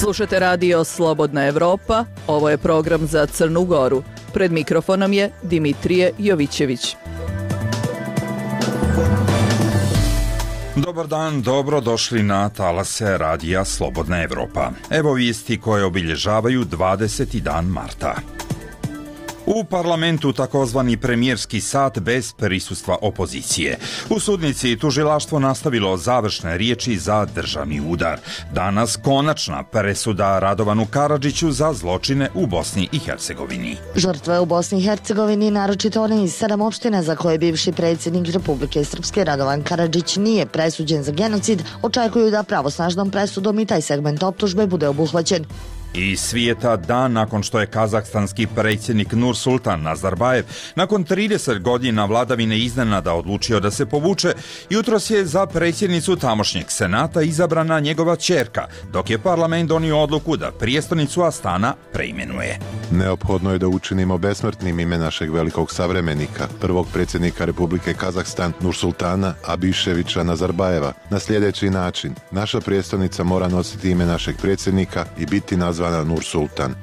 Slušate radio Slobodna Evropa, ovo je program za Crnu Goru. Pred mikrofonom je Dimitrije Jovićević. Dobar dan, dobro došli na talase radija Slobodna Evropa. Evo vijesti koje obilježavaju 20. dan marta. U parlamentu takozvani premijerski sat bez prisustva opozicije. U sudnici tužilaštvo nastavilo završne riječi za državni udar. Danas konačna presuda Radovanu Karadžiću za zločine u Bosni i Hercegovini. Žrtve u Bosni i Hercegovini, naročito one iz 7 opština za koje bivši predsjednik Republike Srpske Radovan Karadžić nije presuđen za genocid, očekuju da pravosnažnom presudom i taj segment optužbe bude obuhvaćen. Iz svijeta dan nakon što je kazahstanski predsjednik Nursultan Nazarbajev nakon 30 godina vladavine iznenada odlučio da se povuče, jutros je za predsjednicu tamošnjeg senata izabrana njegova ćerka, dok je parlament donio odluku da prijestolnicu Astana preimenuje. Neophodno je da učinimo besmrtnim ime našeg velikog savremenika, prvog predsjednika Republike Kazahstan Nursultana Abiševića Nazarbajeva, na sljedeći način. Naša prijestolnica mora nositi ime našeg predsjednika i biti nazvana Nursultan.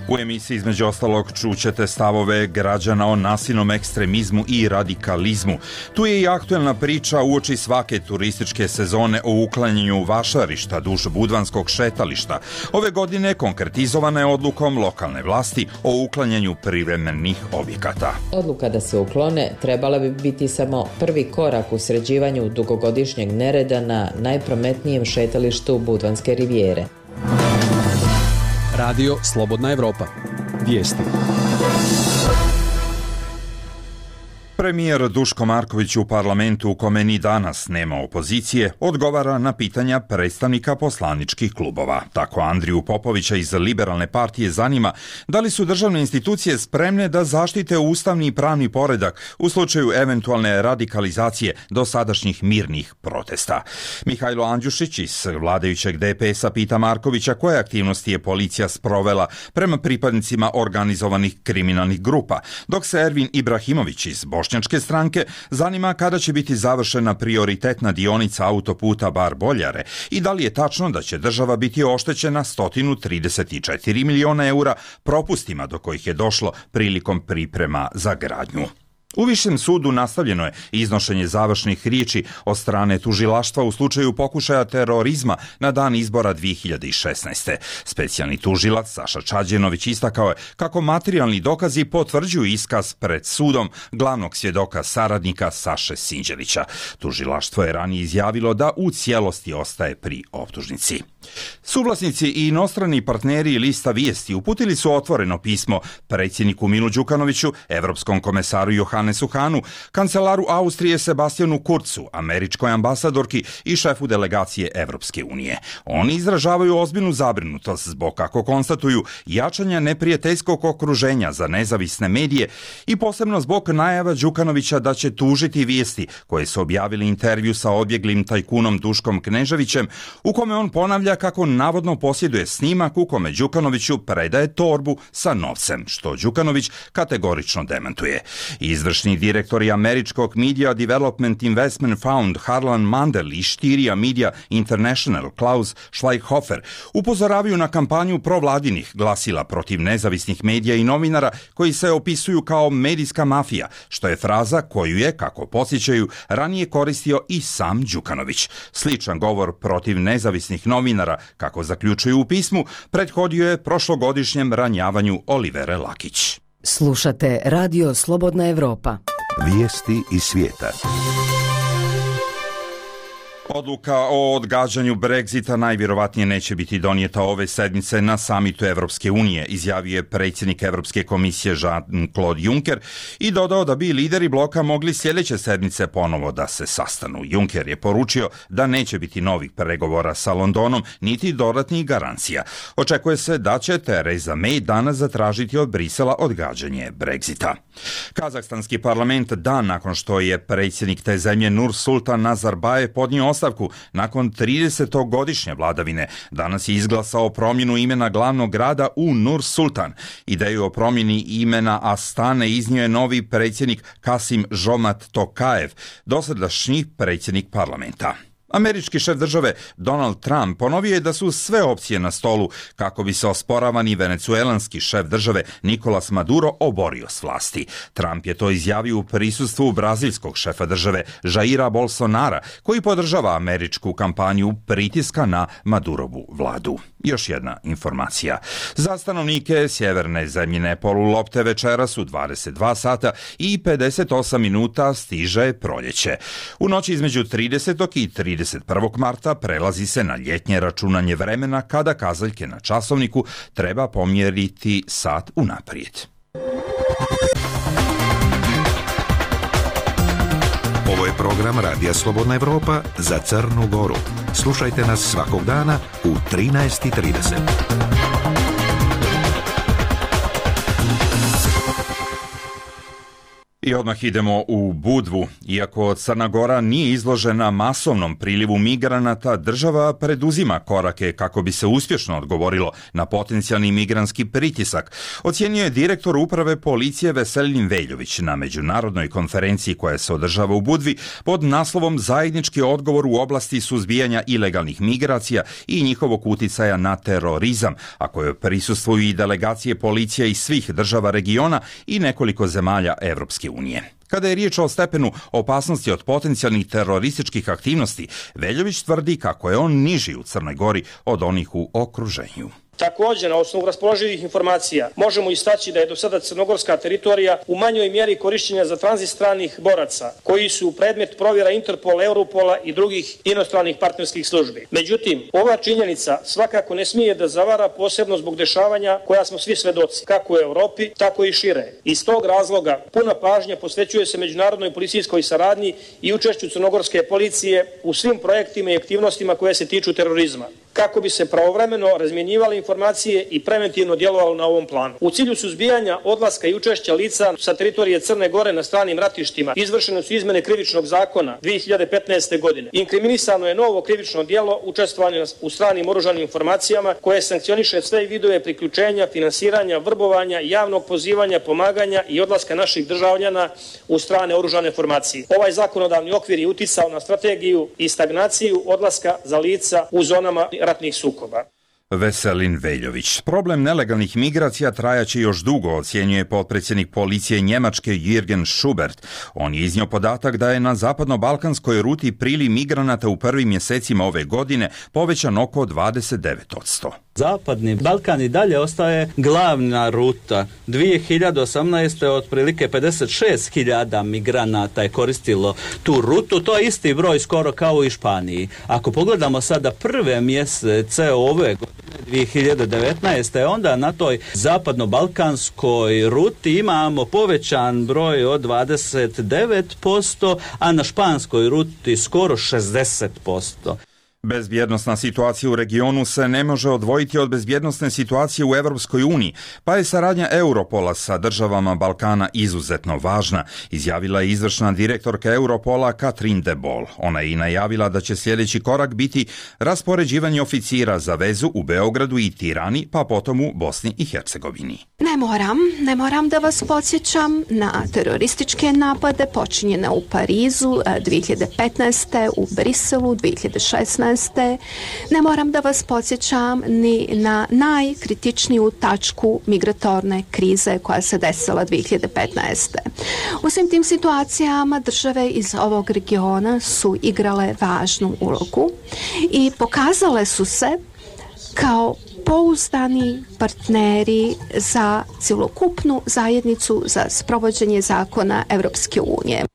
U emisiji između ostalog čućete stavove građana o nasilnom ekstremizmu i radikalizmu. Tu je i aktuelna priča uoči svake turističke sezone o uklanjanju vašarišta duž Budvanskog šetališta. Ove godine konkretizovana je odlukom lokalne vlasti o uklanjanju privremenih objekata. Odluka da se uklone trebala bi biti samo prvi korak u sređivanju dugogodišnjeg nereda na najprometnijem šetalištu Budvanske rivijere. Radio Slobodna Evropa. Vijesti. Premijer Duško Marković u parlamentu, u kome ni danas nema opozicije, odgovara na pitanja predstavnika poslaničkih klubova. Tako Andriju Popovića iz Liberalne partije zanima da li su državne institucije spremne da zaštite ustavni i pravni poredak u slučaju eventualne radikalizacije dosadašnjih mirnih protesta. Mihajlo Andjušić iz vladajućeg DPS-a pita Markovića koje aktivnosti je policija sprovela prema pripadnicima organizovanih kriminalnih grupa, dok se Ervin Ibrahimović iz Bošnjačke stranke zanima kada će biti završena prioritetna dionica autoputa Bar-Boljare i da li je tačno da će država biti oštećena 134 miliona eura propustima do kojih je došlo prilikom priprema za gradnju. U Višem sudu nastavljeno je iznošenje završnih riječi od strane tužilaštva u slučaju pokušaja terorizma na dan izbora 2016. Specijalni tužilac Saša Čađenović istakao je kako materijalni dokazi potvrđuju iskaz pred sudom glavnog svjedoka saradnika Saše Sinđelića. Tužilaštvo je ranije izjavilo da u cijelosti ostaje pri optužnici. Suvlasnici i inostrani partneri lista Vijesti uputili su otvoreno pismo predsjedniku Milu Đukanoviću, evropskom komesaru Johannesu Hahnu, kancelaru Austrije Sebastianu Kurzu, američkoj ambasadorki i šefu delegacije Evropske unije. Oni izražavaju ozbiljnu zabrinutost zbog, kako konstatuju, jačanja neprijateljskog okruženja za nezavisne medije i posebno zbog najava Đukanovića da će tužiti Vijesti koje su objavili intervju sa odbjeglim tajkunom Duškom Kneževićem, u kome on ponavlja kako navodno posjeduje snimak u kome Đukanoviću predaje torbu sa novcem, što Đukanović kategorično demantuje. Izvršni direktori američkog Media Development Investment Fund Harlan Mandel i Štiria Media International Klaus Schweighofer upozoravaju na kampanju provladinih glasila protiv nezavisnih medija i novinara koji se opisuju kao medijska mafija, što je fraza koju je, kako podsjećaju, ranije koristio i sam Đukanović. Sličan govor protiv nezavisnih novinara, kako zaključuju u pismu, prethodio je prošlogodišnjem ranjavanju Olivere Lakić. Slušate Radio Slobodna Evropa. Vijesti iz svijeta. Odluka o odgađanju Brexita najvjerovatnije neće biti donijeta ove sedmice na samitu Evropske unije, izjavio je predsjednik Evropske komisije Jean-Claude Juncker i dodao da bi lideri bloka mogli sljedeće sedmice ponovo da se sastanu. Juncker je poručio da neće biti novih pregovora sa Londonom niti dodatnih garancija. Očekuje se da će Theresa May danas zatražiti od Brisela odgađanje Brexita. Kazahstanski parlament dan nakon što je predsjednik te zemlje Nursultan Nazarbajev podnio ostavku nakon 30-godišnje vladavine, danas je izglasao promjenu imena glavnog grada u Nur-Sultan. Ideju o promjeni imena Astane iznio je novi predsjednik Kasim Žomat Tokajev, dosadašnji predsjednik parlamenta. Američki šef države Donald Trump ponovio je da su sve opcije na stolu kako bi se osporavani venecuelanski šef države Nicolas Maduro oborio s vlasti. Trump je to izjavio u prisustvu brazilskog šefa države Jaira Bolsonara, koji podržava američku kampanju pritiska na Madurovu vladu. Još jedna informacija. Za stanovnike sjeverne zemljine polulopte večeras u 22 sata i 58 minuta stiže proljeće. U noći između 30. i 31. marta prelazi se na ljetnje računanje vremena kada kazaljke na časovniku treba pomjeriti sat unaprijed. Ovo je program Radija Slobodna Evropa za Crnu Goru. Slušajte nas svakog dana u 13:30. I odmah idemo u Budvu. Iako Crna Gora nije izložena masovnom prilivu migranata, država preduzima korake kako bi se uspješno odgovorilo na potencijalni migrantski pritisak, ocjenjuje direktor uprave policije Veselin Veljović na međunarodnoj konferenciji koja se održava u Budvi pod naslovom Zajednički odgovor u oblasti suzbijanja ilegalnih migracija i njihovog uticaja na terorizam, a kojoj prisustvuju i delegacije policija iz svih država regiona i nekoliko zemalja Evropske unije. Kada je riječ o stepenu opasnosti od potencijalnih terorističkih aktivnosti, Veljović tvrdi kako je on niži u Crnoj Gori od onih u okruženju. Također, na osnovu raspoloživih informacija možemo istaći da je do sada crnogorska teritorija u manjoj mjeri korišćenja za tranzit stranih boraca, koji su predmet provjera Interpola, Europola i drugih inostranih partnerskih službi. Međutim, ova činjenica svakako ne smije da zavara, posebno zbog dešavanja koja smo svi svedoci, kako u Europi, tako i šire. Iz tog razloga puna pažnja posvećuje se međunarodnoj policijskoj saradnji i učešću crnogorske policije u svim projektima i aktivnostima koje se tiču terorizma, kako bi se pravovremeno razmjenjivale informacije i preventivno djelovalo na ovom planu. U cilju suzbijanja odlaska i učešća lica sa teritorije Crne Gore na stranim ratištima izvršene su izmene krivičnog zakona 2015. godine. Inkriminisano je novo krivično djelo učestvovanja u stranim oružanim informacijama koje sankcioniše sve vidove priključenja, finansiranja, vrbovanja, javnog pozivanja, pomaganja i odlaska naših državljana u strane oružane formacije. Ovaj zakonodavni okvir je uticao na strategiju i stagnaciju odlaska za lica u zonama ratnih sukoba. Veselin Veljović. Problem nelegalnih migracija trajaće još dugo, ocjenjuje potpredsjednik policije Njemačke Jürgen Schubert. On je iznio podatak da je na zapadno-balkanskoj ruti priliv migranata u prvim mjesecima ove godine povećan oko 29%. Zapadni Balkan i dalje ostaje glavna ruta. 2018. otprilike 56.000 migranata je koristilo tu rutu. To je isti broj skoro kao u Španiji. Ako pogledamo sada prve mjesece ove godine, 2019. onda na toj zapadno-balkanskoj ruti imamo povećan broj od 29%, a na španskoj ruti skoro 60%. Bezbjednosna situacija u regionu se ne može odvojiti od bezbjednosne situacije u Europskoj uniji, pa je saradnja Europola sa državama Balkana izuzetno važna, izjavila je izvršna direktorka Europola Katrin de Boll. Ona je i najavila da će sljedeći korak biti raspoređivanje oficira za vezu u Beogradu i Tirani, pa potom u Bosni i Hercegovini. Ne moram da vas podsjećam na terorističke napade počinjene u Parizu 2015. u Briselu 2016. Ne moram da vas podsjećam ni na najkritičniju tačku migratorne krize koja se desila 2015. U svim tim situacijama države iz ovog regiona su igrale važnu ulogu i pokazale su se kao pouzdani partneri za cjelokupnu zajednicu za sprovođenje zakona Europske unije.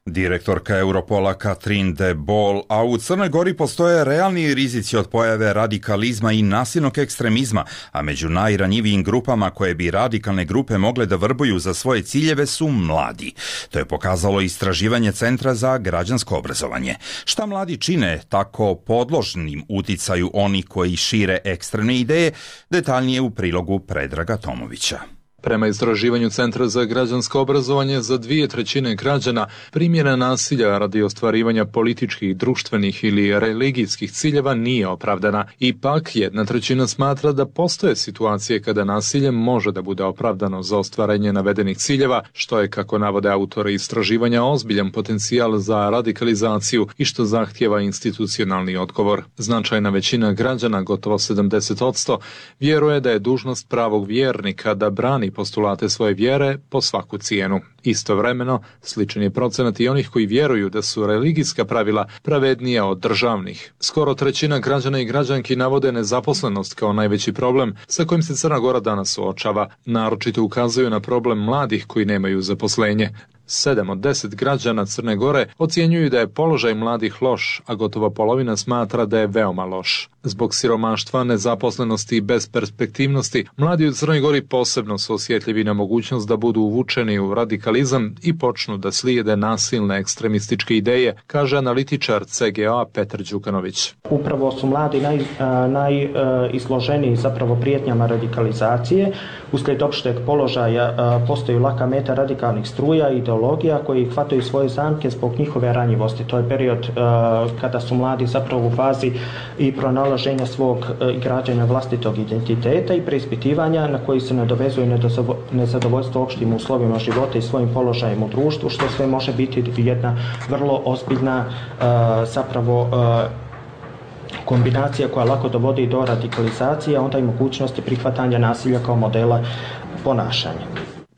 Direktorka Europola Katrin de Boll, a u Crnoj Gori postoje realni rizici od pojave radikalizma i nasilnog ekstremizma, a među najranjivijim grupama koje bi radikalne grupe mogle da vrbuju za svoje ciljeve su mladi. To je pokazalo istraživanje Centra za građansko obrazovanje. Šta mladi čine tako podložnim uticaju oni koji šire ekstremne ideje, detaljnije u prilogu Predraga Tomovića. Prema istraživanju Centra za građansko obrazovanje, za 2/3 građana primjena nasilja radi ostvarivanja političkih, društvenih ili religijskih ciljeva nije opravdana. Ipak, 1/3 smatra da postoje situacije kada nasilje može da bude opravdano za ostvarenje navedenih ciljeva, što je, kako navode autori istraživanja, ozbiljan potencijal za radikalizaciju i što zahtijeva institucionalni odgovor. Značajna većina građana, gotovo 70%, vjeruje da je dužnost pravog vjernika da brani postulate svoje vjere po svaku cijenu. Istovremeno, sličan je procenat i onih koji vjeruju da su religijska pravila pravednija od državnih. Skoro 1/3 građana i građanki navode nezaposlenost kao najveći problem sa kojim se Crna Gora danas suočava. Naročito ukazuju na problem mladih koji nemaju zaposlenje. 7 od 10 građana Crne Gore ocjenjuju da je položaj mladih loš, a gotovo polovina smatra da je veoma loš. Zbog siromaštva, nezaposlenosti i besperspektivnosti, mladi u Crnoj Gori posebno su osjetljivi na mogućnost da budu uvučeni u radikalizam i počnu da slijede nasilne ekstremističke ideje, kaže analitičar CGA Petar Đukanović. Upravo su mladi najizloženiji zapravo prijetnjama radikalizacije. Uslijed opšteg položaja postaju laka meta radikalnih struja i ideologija koji hvataju svoje zamke zbog njihove ranjivosti. To je period kada su mladi zapravo u fazi i pronalaženja svog i građenja vlastitog identiteta i preispitivanja na koji se nadovezuje nezadovoljstvo opštim uslovima života i svojim položajem u društvu, što sve može biti jedna vrlo ozbiljna zapravo kombinacija koja lako dovodi do radikalizacije, a onda i mogućnosti prihvatanja nasilja kao modela ponašanja.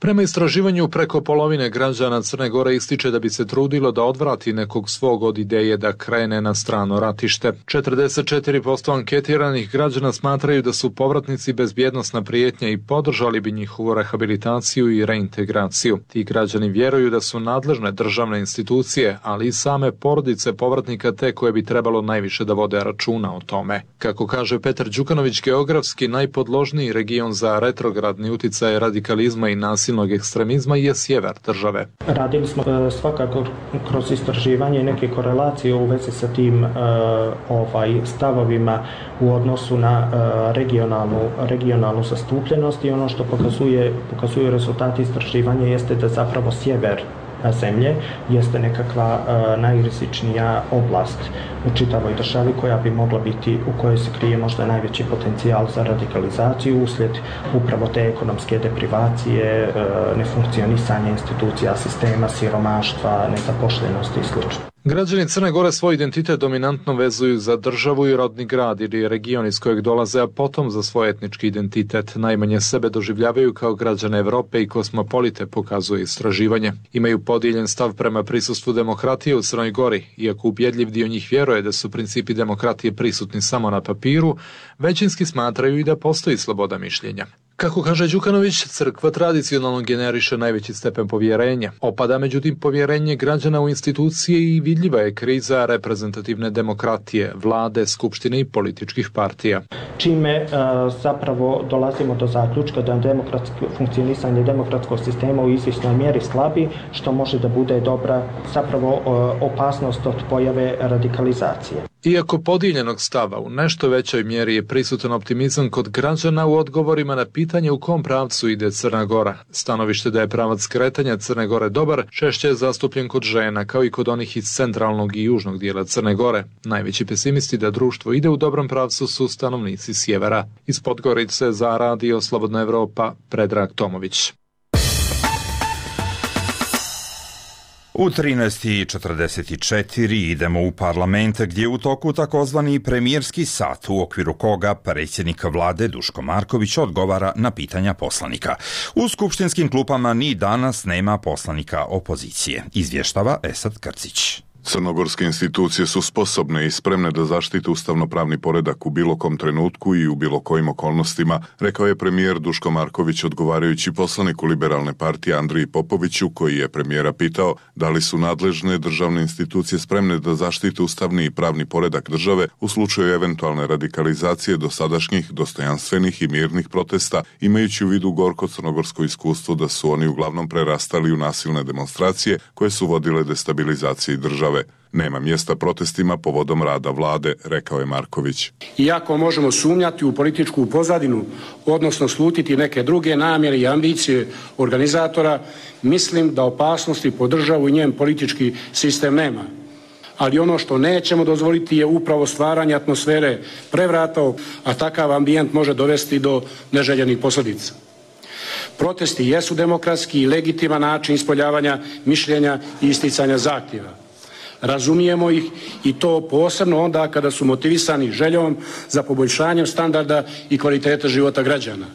Prema istraživanju, preko polovine građana Crne Gore ističe da bi se trudilo da odvrati nekog svog od ideje da krene na strano ratište. 44% anketiranih građana smatraju da su povratnici bezbjednosna prijetnja i podržali bi njihovu rehabilitaciju i reintegraciju. Ti građani vjeruju da su nadležne državne institucije, ali i same porodice povratnika te koje bi trebalo najviše da vode računa o tome. Kako kaže Petar Đukanović, geografski najpodložniji region za retrogradni uticaj radikalizma i nasilja ekstremizma je sjever države. Radili smo svakako kroz istraživanje neke korelacije u vezi sa tim stavovima u odnosu na regionalnu zastupljenost i ono što pokazuju rezultati istraživanja jeste da zapravo sjever zemlje jeste nekakva najrizičnija oblast u čitavoj državi koja bi mogla biti, u kojoj se krije možda najveći potencijal za radikalizaciju uslijed upravo te ekonomske deprivacije, nefunkcionisanja institucija sistema, siromaštva, nezaposlenosti i sl. Građani Crne Gore svoj identitet dominantno vezuju za državu i rodni grad ili region iz kojeg dolaze, a potom za svoj etnički identitet. Najmanje sebe doživljavaju kao građane Evrope i kosmopolite, pokazuje istraživanje. Imaju podijeljen stav prema prisustvu demokratije u Crnoj Gori, iako ubjedljiv dio njih vjeruje da su principi demokratije prisutni samo na papiru, većinski smatraju i da postoji sloboda mišljenja. Kako kaže Đukanović, crkva tradicionalno generiše najveći stepen povjerenja. Opada međutim povjerenje građana u institucije i vidljiva je kriza reprezentativne demokratije, vlade, skupštine i političkih partija. Čime zapravo dolazimo do zaključka da funkcionisanje demokratskog sistema u izvjesnoj mjeri slabi, što može da bude dobra zapravo opasnost od pojave radikalizacije. Iako podijeljenog stava u nešto većoj mjeri je prisutan optimizam kod građana u odgovorima na pitanje u kom pravcu ide Crna Gora. Stanovište da je pravac kretanja Crne Gore dobar češće je zastupljen kod žena, kao i kod onih iz centralnog i južnog dijela Crne Gore. Najveći pesimisti da društvo ide u dobrom pravcu su stanovnici sjevera. Iz Podgorice za Radio Slobodna Evropa, Predrag Tomović. U 13:44 idemo u parlament gdje je u toku takozvani premijerski sat u okviru koga predsjednik vlade Duško Marković odgovara na pitanja poslanika. U skupštinskim klupama ni danas nema poslanika opozicije, izvještava Esad Krcić. Crnogorske institucije su sposobne i spremne da zaštite ustavno-pravni poredak u bilo kom trenutku i u bilo kojim okolnostima, rekao je premijer Duško Marković odgovarajući poslaniku Liberalne partije Andriji Popoviću, koji je premijera pitao da li su nadležne državne institucije spremne da zaštite ustavni i pravni poredak države u slučaju eventualne radikalizacije dosadašnjih dostojanstvenih i mirnih protesta, imajući u vidu gorko crnogorsko iskustvo da su oni uglavnom prerastali u nasilne demonstracije koje su vodile destabilizaciji države. države. Nema mjesta protestima povodom rada vlade, rekao je Marković. Iako možemo sumnjati u političku pozadinu, odnosno slutiti neke druge namjere i ambicije organizatora, mislim da opasnosti po državu i njen politički sistem nema. Ali ono što nećemo dozvoliti je upravo stvaranje atmosfere prevrata, a takav ambijent može dovesti do neželjenih posljedica. Protesti jesu demokratski i legitiman način ispoljavanja mišljenja i isticanja zahtjeva. Razumijemo ih i to posebno onda kada su motivisani željom za poboljšanjem standarda i kvalitete života građana.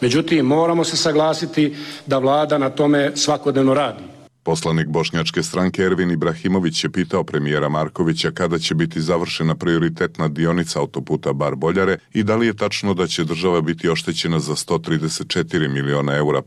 Međutim, moramo se saglasiti da vlada na tome svakodnevno radi. Poslanik bošnjačke stranke Ervin Ibrahimović je pitao premijera Markovića kada će biti završena prioritetna dionica autoputa Bar-Boljare i da li je tačno da će država biti oštećena za 134 miliona eura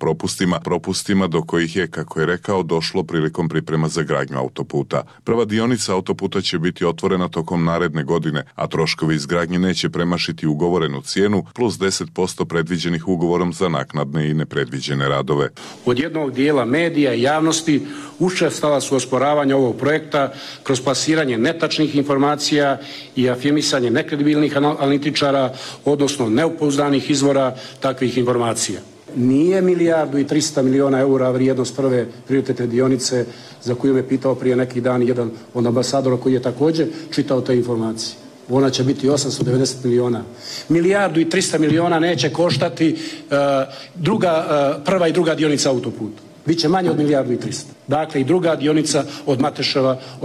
propustima do kojih je, kako je rekao, došlo prilikom priprema za gradnju autoputa. Prva dionica autoputa će biti otvorena tokom naredne godine, a troškovi izgradnje neće premašiti ugovorenu cijenu plus 10% predviđenih ugovorom za naknadne i nepredviđene radove. Od jednog dijela medija i javnosti učestala su osporavanja ovog projekta kroz plasiranje netačnih informacija i afirmisanje nekredibilnih analitičara, odnosno nepouzdanih izvora takvih informacija. Nije 1.300 miliona eura vrijednost prve prioritetne dionice za koju me pitao prije neki dan jedan od ambasadora koji je također čitao te informacije. Ona će biti 890 miliona. 1.300 miliona neće koštati prva i druga dionica autoputa. Biće manje od 1.300. Dakle, i druga dionica od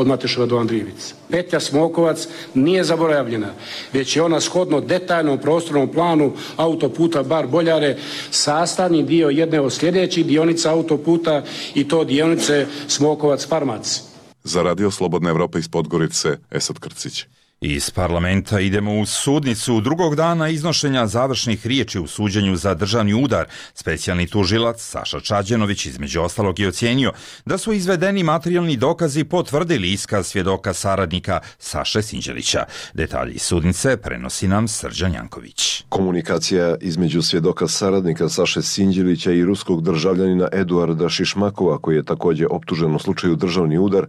Mateševa do Andrijevice. Petlja Smokovac nije zaboravljena, već je ona shodno detaljnom prostornom planu autoputa Bar-Boljare sastavni dio jedne od sljedećih dionica autoputa i to dionice Smokovac-Farmac. Za Radio Slobodna Evropa iz Podgorice, Esad Krcić. Iz parlamenta idemo u sudnicu. Drugog dana iznošenja završnih riječi u suđenju za državni udar, specijalni tužilac Saša Čađenović između ostalog je ocijenio da su izvedeni materijalni dokazi potvrdili iskaz svjedoka saradnika Saše Sinđelića. Detalji iz sudnice prenosi nam Srđan Janković. Komunikacija između svjedoka saradnika Saše Sinđelića i ruskog državljanina Eduarda Šišmakova, koji je također optužen u slučaju državni udar,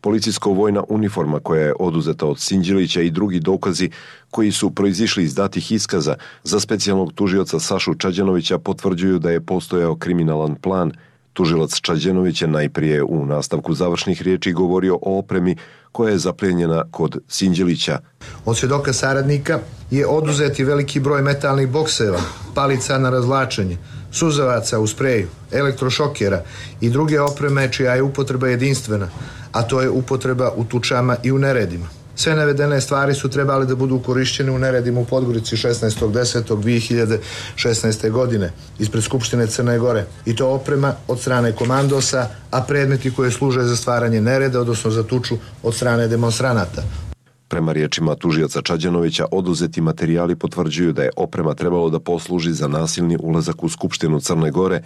policijsko-vojna uniforma koja je oduzeta od Sinđelića i drugi dokazi koji su proizišli iz datih iskaza za specijalnog tužioca Sašu Čađenovića potvrđuju da je postojao kriminalan plan. Tužilac Čađenović je najprije u nastavku završnih riječi govorio o opremi koja je zaplijenjena kod Sinđelića. Od svjedoka saradnika je oduzeti veliki broj metalnih bokseva, palica na razvlačenje, suzavaca u spreju, elektrošokera i druge opreme čija je upotreba jedinstvena, a to je upotreba u tučama i u neredima. Sve navedene stvari su trebali da budu korišćene u neredima u Podgorici 16.10.2016. godine ispred Skupštine Crne Gore. I to oprema od strane komandosa, a predmeti koje služe za stvaranje nereda, odnosno za tuču od strane demonstranata. Prema riječima tužioca Čađenovića, oduzeti materijali potvrđuju da je oprema trebalo da posluži za nasilni ulazak u Skupštinu Crne Gore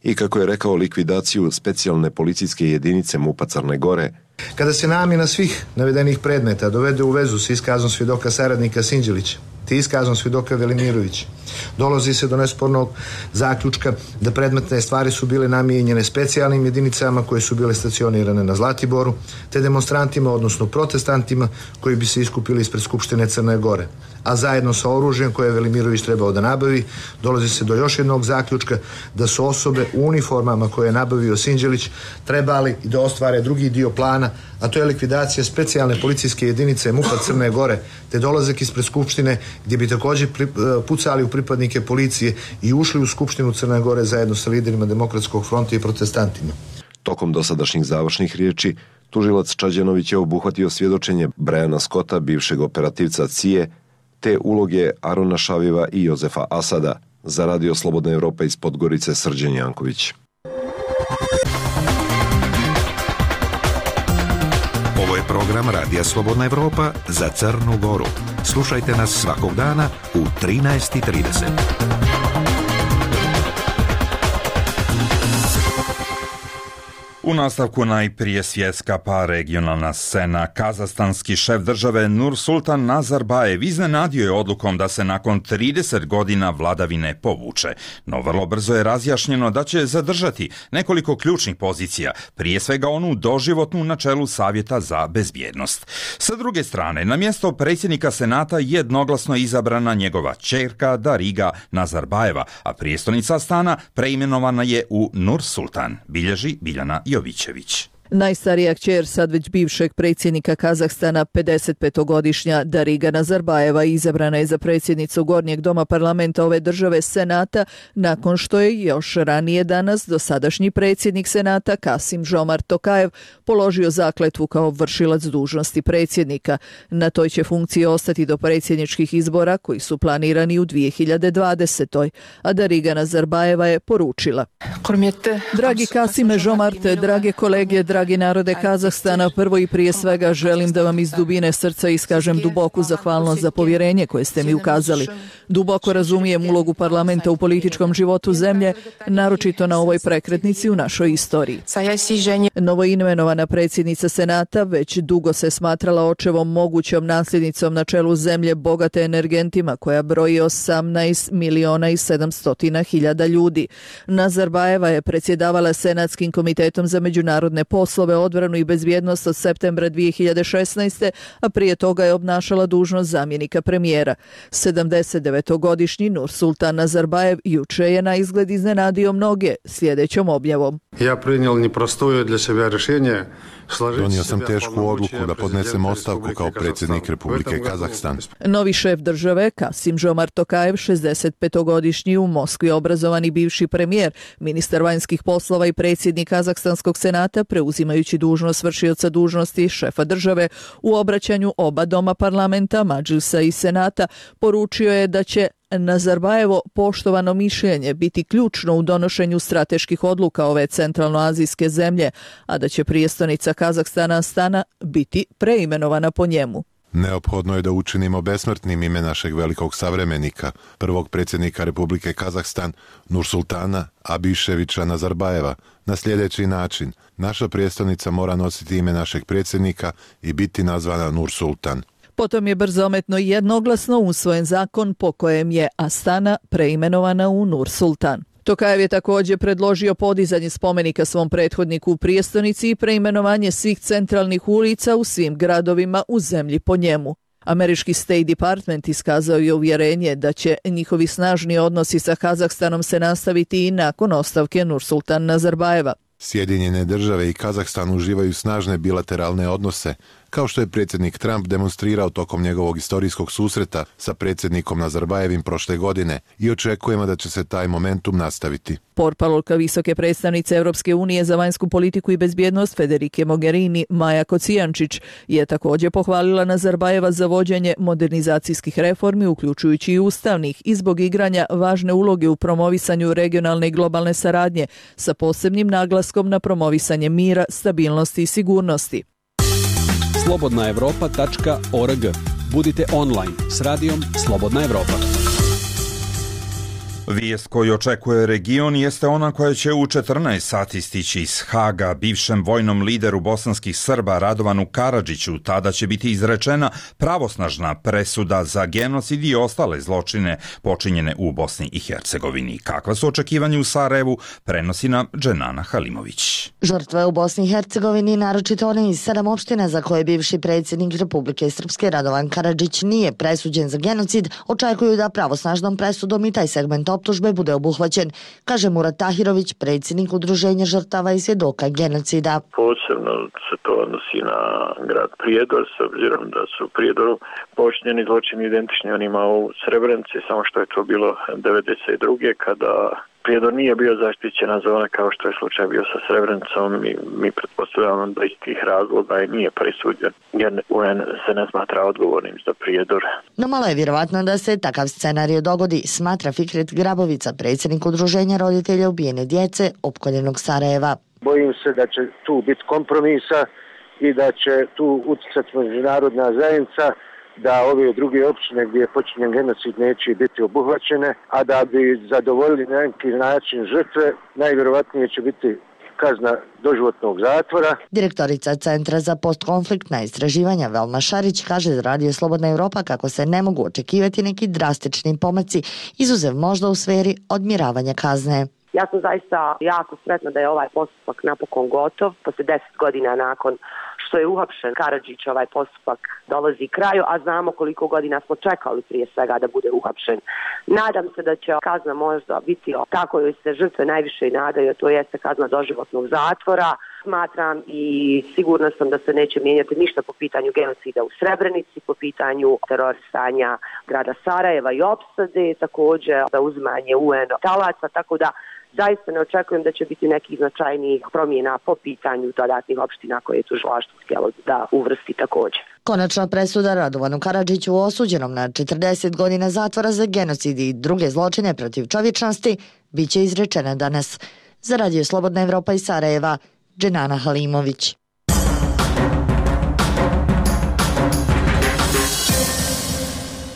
i, kako je rekao, likvidaciju specijalne policijske jedinice MUP-a Crne Gore. Kada se namjena svih navedenih predmeta dovede u vezu s iskazom svjedoka saradnika Sinđelića te iskazom svjedoka Velimirovića, dolazi se do nespornog zaključka da predmetne stvari su bile namijenjene specijalnim jedinicama koje su bile stacionirane na Zlatiboru, te demonstrantima, odnosno protestantima koji bi se iskupili ispred Skupštine Crne Gore. A zajedno sa oružjem koje je Velimirović trebao da nabavi, dolazi se do još jednog zaključka da su osobe u uniformama koje je nabavio Sinđelić trebali da ostvare drugi dio plana, a to je likvidacija specijalne policijske jedinice MUP-a Crne Gore, te dolazak ispred Skupštine gdje bi također pucali u pripadnike policije i ušli u Skupštinu Crne Gore zajedno sa liderima Demokratskog fronta i protestantima. Tokom dosadašnjih završnih riječi, tužilac Čađenović je obuhvatio svjedočenje Brajana Skota, bivšeg operativca CIA, te uloge Arona Šaviva i Jozefa Asada. Za Radio Slobodna Evropa iz Podgorice, Srđan Janković. Ovo je program Radija Slobodna Evropa za Crnu Goru. Slušajte nas svakog dana u 13:30. U nastavku najprije svjetska pa regionalna scena. Kazahstanski šef države Nursultan Nazarbajev iznenadio je odlukom da se nakon 30 godina vladavine povuče. No vrlo brzo je razjašnjeno da će zadržati nekoliko ključnih pozicija, prije svega onu doživotnu na čelu Savjeta za bezbjednost. Sa druge strane, na mjesto predsjednika Senata jednoglasno izabrana njegova ćerka Dariga Nazarbajeva, a prijestolnica Astana preimenovana je u Nursultan, bilježi Biljana Jovićević. Najstarija kćer sad već bivšeg predsjednika Kazahstana, 55-godišnja Dariga Nazarbajeva, izabrana je za predsjednicu Gornjeg doma parlamenta ove države Senata, nakon što je još ranije danas dosadašnji predsjednik Senata Kasim-Žomart Tokajev položio zakletvu kao vršilac dužnosti predsjednika. Na toj će funkciji ostati do predsjedničkih izbora koji su planirani u 2020. A Dariga Nazarbajeva je poručila: Dragi Kasime-Žomarte, drage kolege, dragi narode Kazahstana, prvo i prije svega želim da vam iz dubine srca iskažem duboku zahvalnost za povjerenje koje ste mi ukazali. Duboko razumijem ulogu parlamenta u političkom životu zemlje, naročito na ovoj prekretnici u našoj istoriji. Novoimenovana predsjednica Senata već dugo se smatrala očevom mogućom nasljednicom na čelu zemlje bogate energentima koja broji 18.700.000 ljudi. Nazarbajeva je predsjedavala Senatskim komitetom za međunarodne poslove, odbranu i bezbjednost od septembra 2016. a prije toga je obnašala dužnost zamjenika premijera. 79-godišnji Nursultan Nazarbajev juče je na izgled iznenadio mnoge sljedećom objavom. Donio sam tešku odluku da podnesem ostavku kao predsjednik Republike Kazahstan. Novi šef države, Kasim-Žomart Tokajev, 65-godišnji u Moskvi obrazovani bivši premijer, ministar vanjskih poslova i predsjednik Kazahstanskog senata, preuzimajući dužnost vršioca dužnosti šefa države, u obraćanju oba doma parlamenta, Madžlisa i senata, poručio je da će Nazarbajevo poštovano mišljenje biti ključno u donošenju strateških odluka ove centralnoazijske zemlje, a da će prijestolnica Kazahstana Astana biti preimenovana po njemu. Neophodno je da učinimo besmrtnim ime našeg velikog savremenika, prvog predsjednika Republike Kazahstan, Nursultana Abiševića Nazarbajeva, na sljedeći način. Naša prijestolnica mora nositi ime našeg predsjednika i biti nazvana Nursultan. Potom je brzometno i jednoglasno usvojen zakon po kojem je Astana preimenovana u Nursultan. Tokajev je također predložio podizanje spomenika svom prethodniku u prijestolnici i preimenovanje svih centralnih ulica u svim gradovima u zemlji po njemu. Američki State Department iskazao je uvjerenje da će njihovi snažni odnosi sa Kazahstanom se nastaviti i nakon ostavke Nursultan Nazarbajeva. Sjedinjene države i Kazahstan uživaju snažne bilateralne odnose, kao što je predsjednik Trump demonstrirao tokom njegovog istorijskog susreta sa predsjednikom Nazarbajevim prošle godine, i očekujemo da će se taj momentum nastaviti. Portparolka visoke predstavnice Europske unije za vanjsku politiku i bezbjednost Federike Mogherini, Maja Kocijančić, je također pohvalila Nazarbajeva za vođenje modernizacijskih reformi, uključujući i ustavnih, i zbog igranja važne uloge u promovisanju regionalne i globalne saradnje, sa posebnim naglaskom na promovisanje mira, stabilnosti i sigurnosti. slobodnaevropa.org. Budite online s radijom Slobodna Evropa. Vijest koju očekuje region jeste ona koja će u 14 sati stići iz Haga. Bivšem vojnom lideru bosanskih Srba Radovanu Karadžiću tada će biti izrečena pravosnažna presuda za genocid i ostale zločine počinjene u Bosni i Hercegovini. Kakva su očekivanja u Sarajevu, prenosi nam Dženana Halimović. Žrtve u Bosni i Hercegovini, naročito one iz 7 opština za koje bivši predsjednik Republike Srpske Radovan Karadžić nije presuđen za genocid, očekuju da pravosnažnom presudom i taj segment optužbe bude obuhvaćen, kaže Murat Tahirović, predsjednik Udruženja žrtava i svjedoka genocida. Posebno se to odnosi na grad Prijedor, s obzirom da su u Prijedoru počinjeni zločini identični onima u Srebrenici, samo što je to bilo 92. kada Prijedor nije bio zaštićena zona kao što je slučaj bio sa Srebrenicom i mi pretpostavljamo da iz tih razloga i nije presuđen jer UN se ne smatra odgovornim za Prijedor. No malo je vjerovatno da se takav scenarij dogodi, smatra Fikret Grabovica, predsjednik Udruženja roditelja ubijene djece opkoljenog Sarajeva. Bojim se da će tu biti kompromisa i da će tu utjecati međunarodna zajednica, da ove druge općine gdje je počinjen genocid neće biti obuhvaćene, a da bi zadovoljili na neki način žrtve, najvjerovatnije će biti kazna doživotnog zatvora. Direktorica Centra za postkonfliktna istraživanja Velma Šarić kaže za Radio Slobodna Evropa kako se ne mogu očekivati neki drastični pomaci, izuzev možda u sferi odmjeravanja kazne. Ja sam zaista jako sretna da je ovaj postupak napokon gotov. Posle 10 godina nakon što je uhapšen Karadžić, ovaj postupak dolazi kraju, a znamo koliko godina smo čekali prije svega da bude uhapšen. Nadam se da će kazna možda biti tako joj se žrtve najviše i nadaju, to jeste kazna doživotnog zatvora. Smatram i sigurna sam da se neće mijenjati ništa po pitanju genocida u Srebrenici, po pitanju terorisanja grada Sarajeva i opsade, također zauzimanje UN talaca, tako da zaista ne očekujem da će biti nekih značajnijih promjena po pitanju dodatnih opština koje je tužilaštvo htjelo da uvrsti također. Konačna presuda Radovanu Karadžiću osuđenom na 40 godina zatvora za genocid i druge zločine protiv čovječnosti biće izrečena danas. Za Radio Slobodna Evropa iz Sarajeva, Dženana Halimović.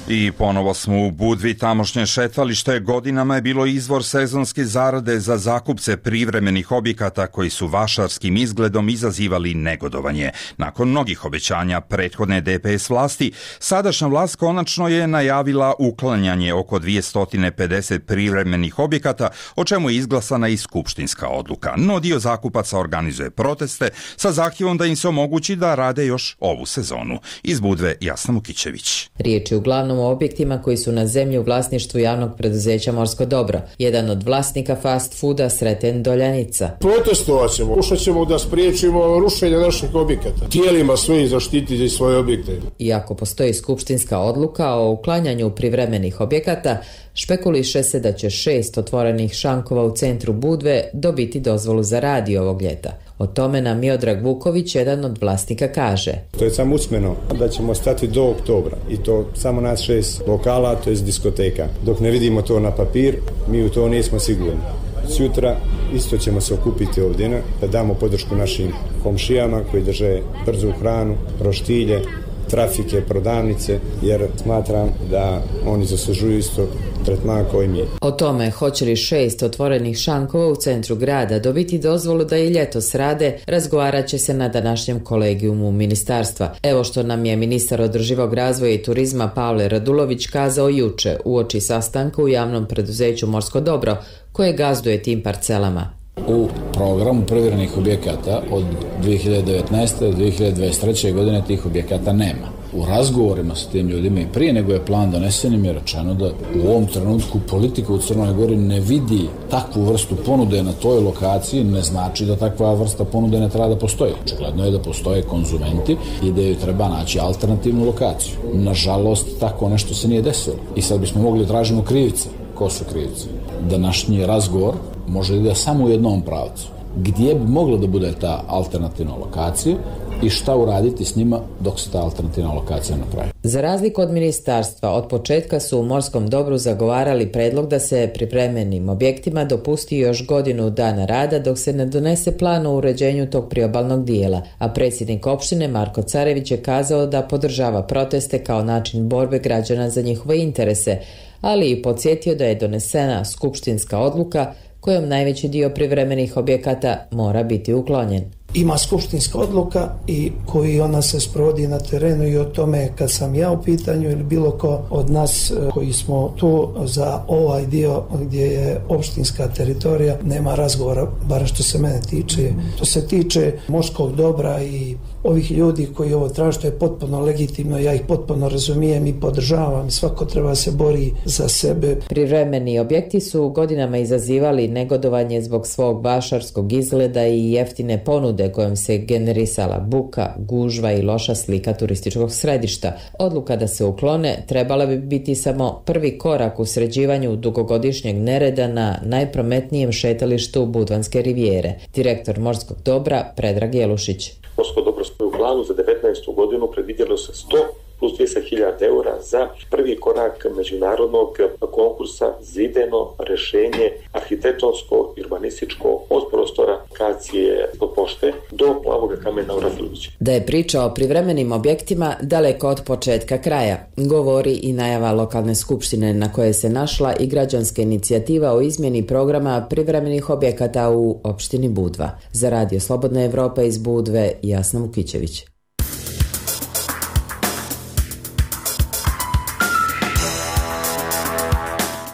I ponovo smo u Budvi, tamošnje šetalište godinama je bilo izvor sezonske zarade za zakupce privremenih objekata koji su vašarskim izgledom izazivali negodovanje. Nakon mnogih obećanja prethodne DPS vlasti, sadašnja vlast konačno je najavila uklanjanje oko 250 privremenih objekata, o čemu je izglasana i skupštinska odluka. No dio zakupaca organizuje proteste sa zahtjevom da im se omogući da rade još ovu sezonu. Iz Budve, Jasna Mukićević. Riječ je uglavnom o objektima koji su na zemlji u vlasništvu javnog preduzeća Morsko dobro. Jedan od vlasnika fast fooda Sreten Doljanica. Protestovat ćemo, pokušat ćemo da spriječimo rušenje naših objekata. Tijelima svojih zaštititi svoje objekte. Iako postoji skupštinska odluka o uklanjanju privremenih objekata, špekuliše se da će 6 otvorenih šankova u centru Budve dobiti dozvolu za rad ovog ljeta. O tome nam Miodrag Vuković, jedan od vlasnika, kaže. To je samo usmeno da ćemo stati do oktobra i to samo nas 6 lokala, to je diskoteka. Dok ne vidimo to na papir, mi u to nismo sigurni. Sutra isto ćemo se okupiti ovdje da damo podršku našim komšijama koji drže brzu hranu, roštilje, trafike, prodavnice, jer smatram da oni zaslužuju isto tretman koji mi je. O tome hoće li 6 otvorenih šankova u centru grada dobiti dozvolu da i ljetos rade, razgovarat će se na današnjem kolegijumu ministarstva. Evo što nam je ministar održivog razvoja i turizma Pavle Radulović kazao juče uoči sastanka u javnom preduzeću Morsko dobro, koje gazduje tim parcelama. U programu provjerenih objekata od 2019. do 2023. godine tih objekata nema. U razgovorima sa tim ljudima i prije nego je plan donesen im je rečeno da u ovom trenutku politika u Crnoj Gori ne vidi takvu vrstu ponude na toj lokaciji, ne znači da takva vrsta ponude ne treba da postoji. Očigledno je da postoje konzumenti i da joj treba naći alternativnu lokaciju. Nažalost, tako nešto se nije desilo. I sad bismo mogli tražimo krivice. Ko su krivci? Današnji razgovor može da ide samo u jednom pravcu. Gdje bi mogla da bude ta alternativna lokacija i šta uraditi s njima dok se ta alternativna lokacija napravi. Za razliku od ministarstva, od početka su u Morskom dobru zagovarali predlog da se pripremljenim objektima dopusti još godinu dana rada dok se ne donese plan o uređenju tog priobalnog dijela, a predsjednik opštine Marko Carević je kazao da podržava proteste kao način borbe građana za njihove interese, ali i podsjetio da je donesena skupštinska odluka kojom najveći dio privremenih objekata mora biti uklonjen. Ima skupštinska odluka i koji ona se sprovodi na terenu i o tome kad sam ja u pitanju ili bilo ko od nas koji smo tu za ovaj dio gdje je opštinska teritorija nema razgovora, bar što se mene tiče. To se tiče Morskog dobra i ovih ljudi koji ovo traže, to je potpuno legitimno, ja ih potpuno razumijem i podržavam, svako treba se bori za sebe. Privremeni objekti su godinama izazivali negodovanje zbog svog vašarskog izgleda i jeftine ponude kojom se generisala buka, gužva i loša slika turističkog središta. Odluka da se uklone trebala bi biti samo prvi korak u sređivanju dugogodišnjeg nereda na najprometnijem šetalištu Budvanske rivijere. Direktor Morskog dobra Predrag Jelušić. Morsko dobro stoji u planu za 19. godinu predvidjelo se 100 plus 200.000 eura za prvi korak međunarodnog konkursa za idejno rešenje arhitektonsko i urbanističko od prostora lokacije od pošte do Plavoga kamena u Rafiliću. Da je priča o privremenim objektima daleko od početka kraja, govori i najava lokalne skupštine na koje se našla i građanska inicijativa o izmjeni programa privremenih objekata u opštini Budva. Za Radio Slobodna Evropa iz Budve, Jasna Vukićević.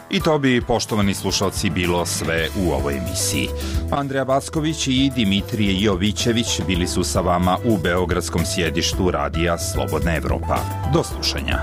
I to bi, poštovani slušalci, bilo sve u ovoj emisiji. Andreja Vasković i Dimitrije Jovićević bili su sa vama u beogradskom sjedištu Radija Slobodna Evropa. Do slušanja.